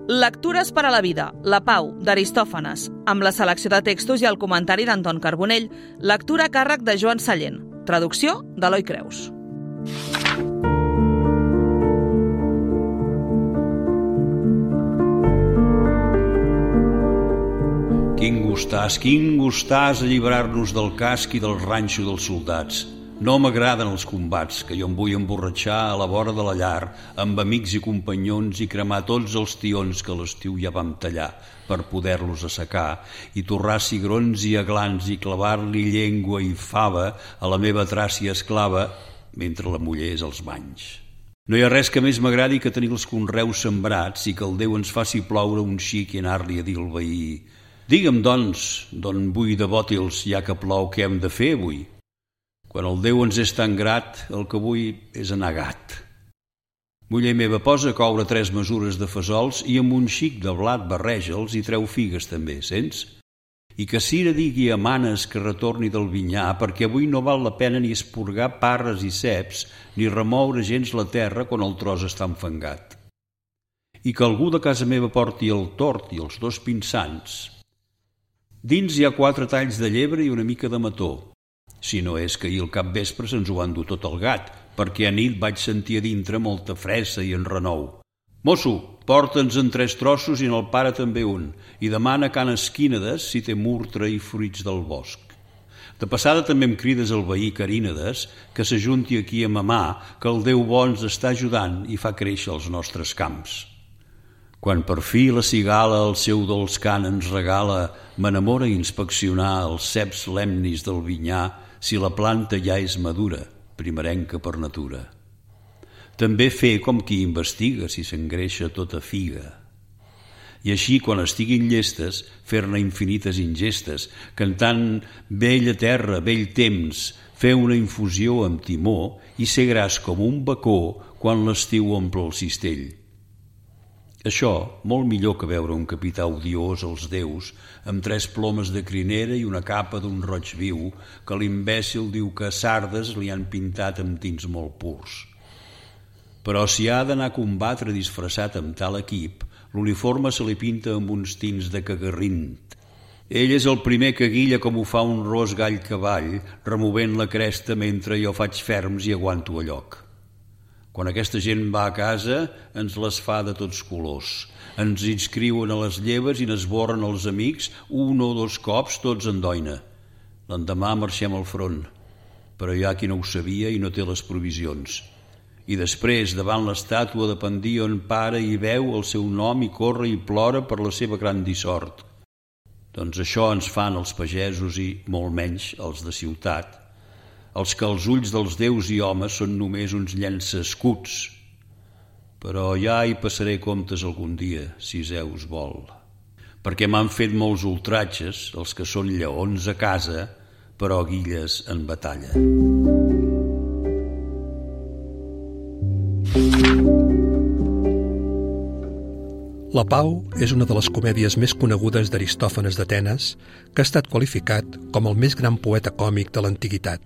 Lectures per a la vida, La pau, d'Aristòfanes, amb la selecció de textos i el comentari d'Anton Carbonell, lectura a càrrec de Joan Sallent, traducció d'Eloi Creus. Quin gustàs alliberar-nos del casc i del ranxo dels soldats. No m'agraden els combats, que jo em vull emborratxar a la vora de la llar, amb amics i companyons i cremar tots els tions que a l'estiu ja vam tallar per poder-los assecar i torrar cigrons i aglans i clavar-li llengua i fava a la meva tràcia esclava mentre la mullés als banys. No hi ha res que més m'agradi que tenir els conreus sembrats i que el Déu ens faci ploure un xic i anar-li a dir al veí: «Digue'm, doncs, d'on vull de bòtils, ja que plou, què hem de fer avui?» Quan el Déu ens és tan grat, el que vull és anar gat. Muller meva, posa a coure 3 mesures de fesols i amb un xic de blat barreja'ls i treu figues també, sents? I que Cira digui a Manes que retorni del vinyar, perquè avui no val la pena ni esporgar parres i ceps ni remoure gens la terra quan el tros està enfangat. I que algú de casa meva porti el tort i els 2 pinsans. Dins hi ha 4 talls de llebre i una mica de mató. Si no és que ahir al capvespre se'ns ho va endur tot el gat, perquè a nit vaig sentir a dintre molta fressa i enrenou. «Mosso, porta'ns-en 3 trossos i en el pare també un, i demana can Esquínades si té murtra i fruits del bosc. De passada també em crides el veí Carínades que s'ajunti aquí a mamar, que el Déu bo ens està ajudant i fa créixer els nostres camps. Quan per fi la cigala el seu dolç cant ens regala, m'enamora inspeccionar els ceps lemnis del vinyar si la planta ja és madura, primerenca per natura. També fer com qui investiga si s'engreixa tota figa. I així, quan estiguin llestes, fer-ne infinites ingestes, cantant vella terra, vell temps, fer una infusió amb timó i ser gras com un bacó quan l'estiu omple el cistell. Això, molt millor que veure un capità odiós als déus amb 3 plomes de crinera i una capa d'un roig viu que l'imbècil diu que a Sardes li han pintat amb tints molt purs. Però si ha d'anar a combatre disfressat amb tal equip, l'uniforme se li pinta amb uns tints de cagarrint. Ell és el primer que guilla com ho fa un ros gall cavall, removent la cresta mentre jo faig ferms i aguanto a lloc. Quan aquesta gent va a casa, ens les fa de tots colors. Ens inscriuen a les lleves i n'esborren els amics 1 o 2 cops tots en doina. L'endemà marxem al front, però hi ha qui no ho sabia i no té les provisions. I després, davant l'estàtua de Pandíon, para i veu el seu nom i corre i plora per la seva gran dissort. Doncs això ens fan els pagesos i, molt menys, els de ciutat, els que als ulls dels déus i homes són només uns llançaescuts. Però ja hi passaré comptes algun dia, si Zeus vol. Perquè m'han fet molts ultratges, els que són lleons a casa, però guilles en batalla. La Pau és una de les comèdies més conegudes d'Aristòfanes d'Atenes, que ha estat qualificat com el més gran poeta còmic de l'antiguitat.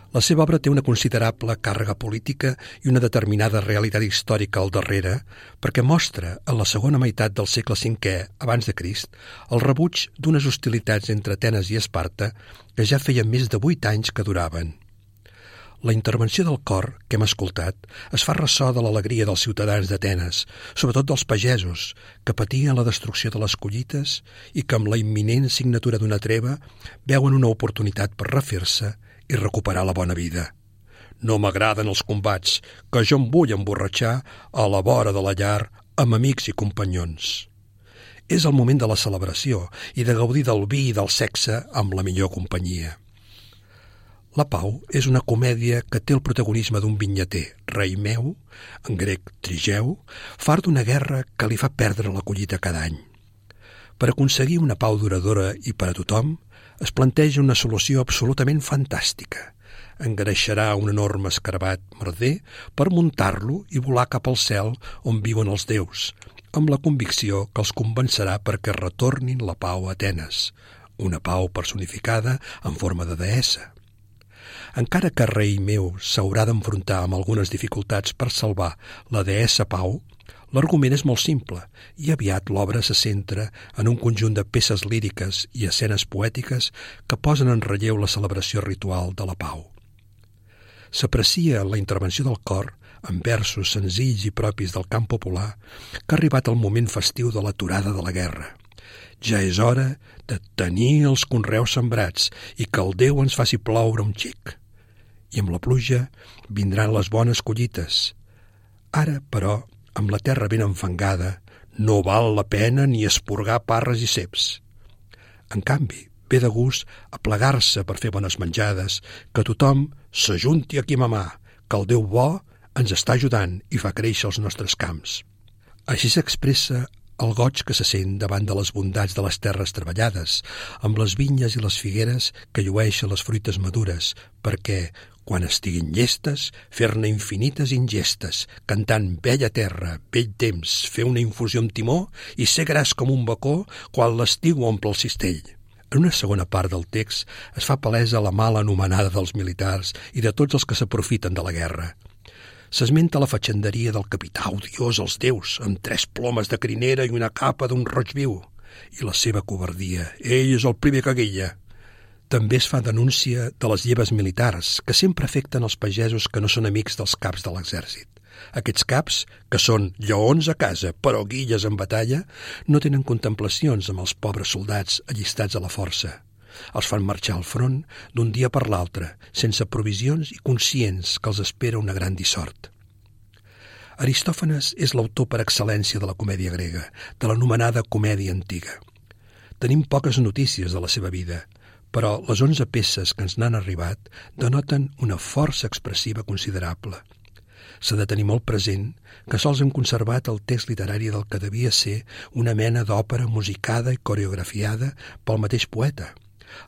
La seva obra té una considerable càrrega política i una determinada realitat històrica al darrere, perquè mostra, en la segona meitat del segle V abans de Crist, el rebuig d'unes hostilitats entre Atenes i Esparta que ja feien més de 8 anys que duraven. La intervenció del cor que hem escoltat es fa ressò de l'alegria dels ciutadans d'Atenes, sobretot dels pagesos, que patien la destrucció de les collites i que amb la imminent signatura d'una treva veuen una oportunitat per refer-se i recuperar la bona vida. No m'agraden els combats, que jo em vull emborratxar a la vora de la llar amb amics i companyons. És el moment de la celebració i de gaudir del vi i del sexe amb la millor companyia. La Pau és una comèdia que té el protagonisme d'un vinyater, rei meu, en grec Trigeu, fart d'una guerra que li fa perdre la collita cada any. Per aconseguir una pau duradora i per a tothom, es planteja una solució absolutament fantàstica. Engreixarà un enorme escarabat merder per muntar-lo i volar cap al cel on viuen els déus, amb la convicció que els convencerà perquè retornin la pau a Atenes, una pau personificada en forma de deessa. Encara que rei meu s'haurà d'enfrontar amb algunes dificultats per salvar la deessa Pau, L'argument és molt simple i aviat l'obra se centra en un conjunt de peces líriques i escenes poètiques que posen en relleu la celebració ritual de la pau. S'aprecia en la intervenció del cor, en versos senzills i propis del cant popular, que ha arribat el moment festiu de l'aturada de la guerra. Ja és hora de tenir els conreus sembrats i que el Déu ens faci ploure un xic. I amb la pluja vindran les bones collites. Ara, però, amb la terra ben enfangada, no val la pena ni esporgar parres i ceps. En canvi, ve de gust aplegar-se per fer bones menjades, que tothom s'ajunti aquí a mamar, que el Déu bo ens està ajudant i fa créixer els nostres camps. Així s'expressa el goig que se sent davant de les bondats de les terres treballades, amb les vinyes i les figueres que llueixen les fruites madures, perquè, quan estiguin llestes, fer-ne infinites ingestes, cantant bella terra, vell temps, fer una infusió amb timó i ser gras com un bacó quan l'estiu omple el cistell. En una segona part del text es fa palesa la mala anomenada dels militars i de tots els que s'aprofiten de la guerra. S'esmenta la fatxenderia del capità odiós als déus, amb 3 plomes de crinera i una capa d'un roig viu, i la seva covardia. Ell és el primer que guilla. També es fa denúncia de les lleves militars, que sempre afecten els pagesos que no són amics dels caps de l'exèrcit. Aquests caps, que són lleons a casa, però guilles en batalla, no tenen contemplacions amb els pobres soldats allistats a la força. Els fan marxar al front d'un dia per l'altre, sense provisions i conscients que els espera una gran dissort. Aristòfanes és l'autor per excel·lència de la comèdia grega, de l'anomenada comèdia antiga. Tenim poques notícies de la seva vida, però les 11 peces que ens n'han arribat denoten una força expressiva considerable. S'ha de tenir molt present que sols hem conservat el text literari del que devia ser una mena d'òpera musicada i coreografiada pel mateix poeta,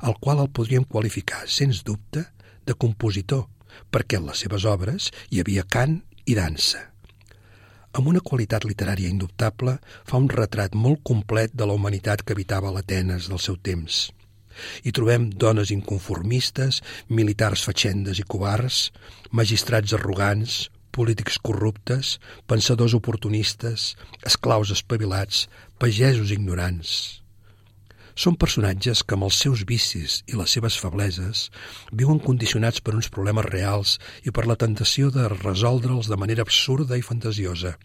el qual el podríem qualificar, sens dubte, de compositor, perquè en les seves obres hi havia cant i dansa. Amb una qualitat literària indubtable, fa un retrat molt complet de la humanitat que habitava l'Atenes del seu temps. Hi trobem dones inconformistes, militars fatxendes i covards, magistrats arrogants, polítics corruptes, pensadors oportunistes, esclaus espavilats, pagesos ignorants. Són personatges que amb els seus vicis i les seves febleses viuen condicionats per uns problemes reals i per la tentació de resoldre'ls de manera absurda i fantasiosa.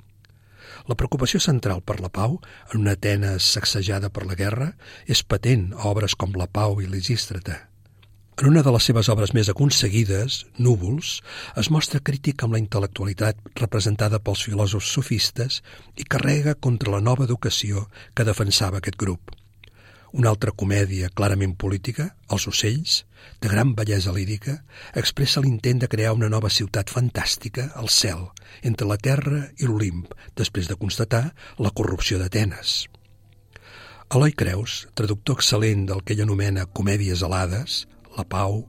La preocupació central per la pau, en una Atenes sacsejada per la guerra, és patent a obres com La Pau i Lisístrata. En una de les seves obres més aconseguides, Núvols, es mostra crític amb la intel·lectualitat representada pels filòsofs sofistes i carrega contra la nova educació que defensava aquest grup. Una altra comèdia clarament política, Els ocells, de gran bellesa lírica, expressa l'intent de crear una nova ciutat fantàstica al cel, entre la terra i l'Olimp, després de constatar la corrupció d'Atenes. Eloi Creus, traductor excel·lent del que ell anomena comèdies alades, La Pau,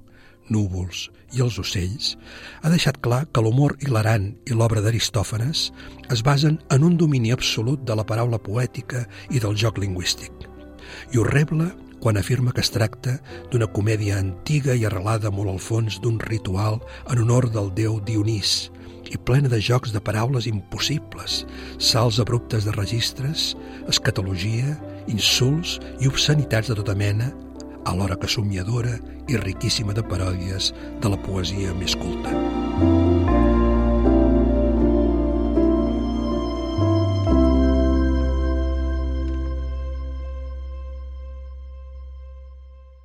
Núvols i Els ocells, ha deixat clar que l'humor hilarant i l'obra d'Aristòfanes es basen en un domini absolut de la paraula poètica i del joc lingüístic. I ho rebla quan afirma que es tracta d'una comèdia antiga i arrelada molt al fons d'un ritual en honor del déu Dionís i plena de jocs de paraules impossibles, salts abruptes de registres, escatologia, insults i obscenitats de tota mena, alhora que somiadora i riquíssima de paròdies de la poesia més culta.